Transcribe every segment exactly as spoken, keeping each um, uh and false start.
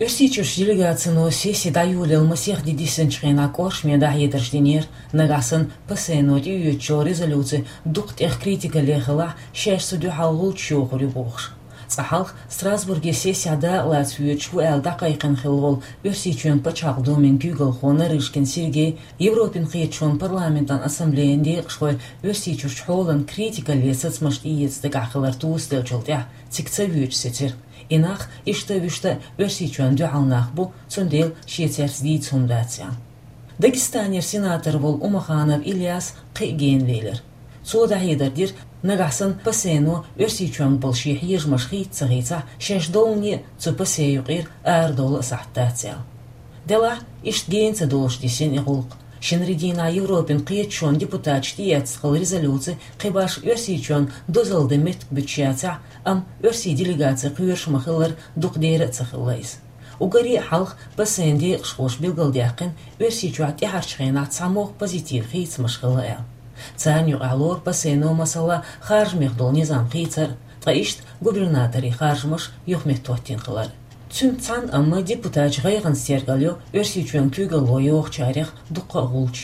Оьрсийчуьрчу делегацино сесси дӀайолаяле масех ди диссинчу хенахь кӀоршаме дӀахьедарш динера, нагахь санна ПАСЕ-но тӀеоьцучу резолюци дукха тӀех критика лехалахь, шаьш цу дуьхьал гӀулч йохур ю бохуш. Цкъа хьалха Страсбурге сессехь дакъалаца воьдуш ву аьлла дӀакхайкхина хилла волу Оьрсийчоьнан пачхьалкхан думин куьйгалхо Нарышкин Сергей Европин кхеташонан парламентан ассамблеян декъашхой Оьрсийчуьрчу хьолан критика ле сацамаш тӀеэца дагахь хилар тосаделлачул тӀаьхьа цига ца воьдуш сецира. И нах иштта а вуьшта а Оьрсийчоьнан дуьхьал нах бу, цундела шен цаьрца дийца хӀума дац аьлла. Дагестанера сенатор волу Умаханов Ильяс кхин а гена лелира. Цо дӀахьедар дира, нагахь санна ПАСЕ-но Оьрсийчоьнга болу шен хьежамаш хийца ца хийцахь, шаьш доллане а цу ПАСЕ юкъера арадовла а сахьт дац аьлла. Делахь, иштта гена ца долуш диссина и гӀуллакх. Шинарин дийнахь Европин кхеташонан депутаташ тӀеэцна хилла резолюци кхин башха Оьрсийчоьнна дозалла дан меттиг буьтуш яцахь, амма оьрсийн делегаци кхоьруш ма-хиллара, дукха дера а ца хилла иза. Уггаре а хьалха ПАСЕ-н декъашхоша билгалдаьккхина, Оьрсийчохь тӀаьхьарчу хенахь цхьамогӀа позитив хийцамаш хилла аьлла. Царна юкъахь лору ПАСЕ-но, масала, харжамех долу низам хийцар, ткъа иштта губернаторийн харжамаш юхаметтахӀоттийна хилар. Цуьнца цхьаьна амма депутаташа гӀайгӀанца тергал йо Оьрсийчоьнан куьйгалло йохучарех дуккха а гӀулч.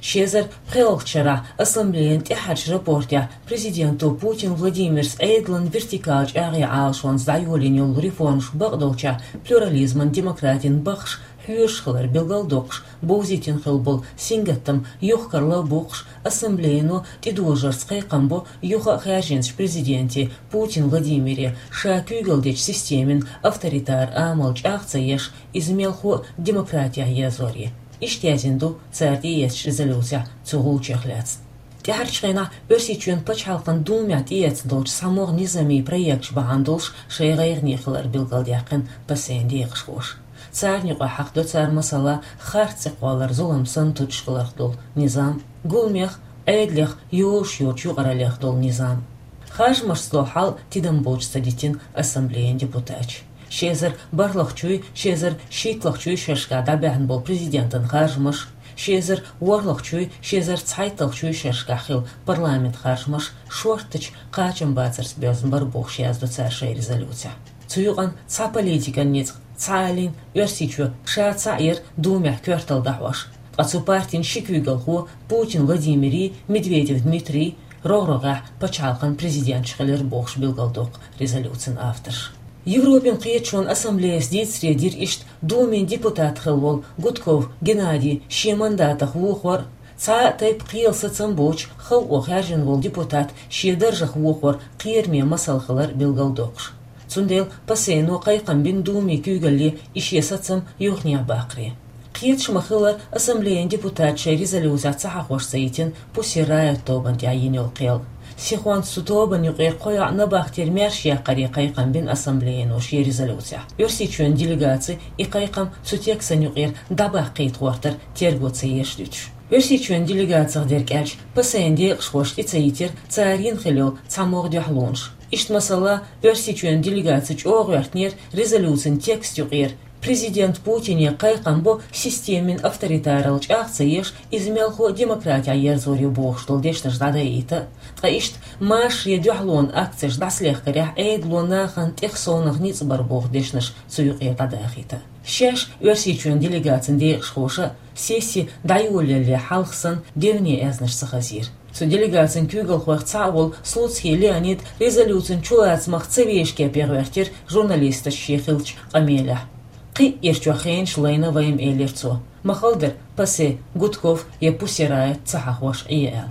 Ши эзар пхоьалгӀачу шарахь ассамблеян тӀаьхьарчу рапортехь президенто Путин Владимирс Ӏедалан вертикалан чӀагӀъян Ӏалашонца дӀайолийна йолу реформаш бакъдолчохь плюрализман, демократин баххаш хьоьжуш хилар билгалдоккхуш, бовзийтина хилла болу сингаттам юхакарла а боккхуш, ассамблеяно тӀедожарца кхайкхам бо юха а хаьржинчу президенте Путин Владимире, ша куьйгалла дечу системин авторитар амал чӀагӀ ца еш, иза мелхо а демократехь ерзоре. Иштта яздина ду цара тӀеэцначу резолюцехь цу гӀулчех лаьцна. ТӀаьхьарчу хенахь Оьрсийчоьнан пачхьалкхан думехь тӀеэцна долчу цхьамогӀа низамийн проекташ бахьана долуш шайн гӀайгӀане хилар билгалдаьккхина ПАСЕ-н декъашхоша. Царна юкъахь хьахдо цара, масала, харц цӀе кхоллар зулам санна тутуш хиларх долу низам, гуламех, Ӏедалех, йозуш йоцучу юкъараллех долу низам. Харжамашца долу хьал тидам болчу ца дитина ассамблеян депутаташа. Ши эзар бархӀлагӀчуй, ши эзар шийтталагӀчуй шерашкахь дӀабаьхьна болу президентан харжамаш, ши эзар ворхӀлагӀчуй, ши эзар цхьайтталгӀчуй шерашкахь хилла парламент харжамаш шорттачу кхачамбацарца боьзна бара бохуш яздо цара шайн резолюцехь. Цу юкъана цхьа политикан ницкъ, цхьа а лин Оьрсийчоь ша цхьаъ яра думехь коьрталла дӀахьош. Ткъа цу партин ши куьйгалхо, Путин Владимирий, Медведев Дмитрий, рогӀ-рогӀехь пачхьалкхан президенташ хилира бохуш билгалдоккху резолюцин авторш. Европин кхеташонан ассамблеяс дийцаре дира иштта Думин депутат хилла волу Гудков Геннадий шен мандатах вохор, цхьа а тайпа кхелан сацам боцуш халкъо хаьржина волу депутат шен даржах вохор кхераме масал хилар билгалдоккхуш. Цундела ПАСЕ-но кхайкхам бина Думин куьйгалле и шен сацам юханехьа баккхаре. Кхеташ ма-хиллара, ассамблеян депутаташа шайн резолюцехь ца хьахош ца йитина Pussy Riot тобанна тӀехь йина йолу кхел. Сихонца цу тобанна юкъера кхо йоӀ набахтера маьрша яккхаре кхайкхам бина ассамблеяно шен резолюцехь. Оьрсийчоьнан делегаци и кхайкхам цу текстан юкъера дӀабаккхийта гӀортар терго ца еш дуьтуш. Оьрсийчоьнан делегацих дерг аьлча, ПАСЕ-н декъашхоша тӀе ца йитира цара йина хилла йолу цхьамогӀа дуьхьалонаш. Иштта, масала, Оьрсийчоьнан делегаци чӀогӀа гӀоьртинера резолюцин текст юкъера, президент Путине кхайкхам бо системин авторитаралла чӀагӀ ца еш, иза мелхо а демократехь ерзор ю бохуш долу дешнаш дӀадайийта, ткъа иштта машаре дуьхьалонан акцеш дӀасалехкарехь Ӏедало нахана тӀех совнах ницкъ бара боху дешнаш цу юкъера дӀадахийта. Шаьш Оьрсийчоьнан делегацин декъашхоша сесси дӀайолаяле хьалха санна девне аьзнаш ца хазийра. Цу делегацин куьйгалхойх цхьаъ волу Слуцкий Леонид резолюцин чулацамах ца вешке пхьегӀертира журналисташа шен хиллачу къамелехь. Кхин а ирчохь хенаш лайна вайна, элира цо. Ма-хала дара, ПАСЕ Гудков я Pussy Riot ца хьахош Ӏе аьлла.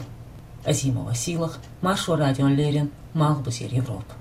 Азимова Сийлаха, Маршо радиона леррина, Малхбузера Европа.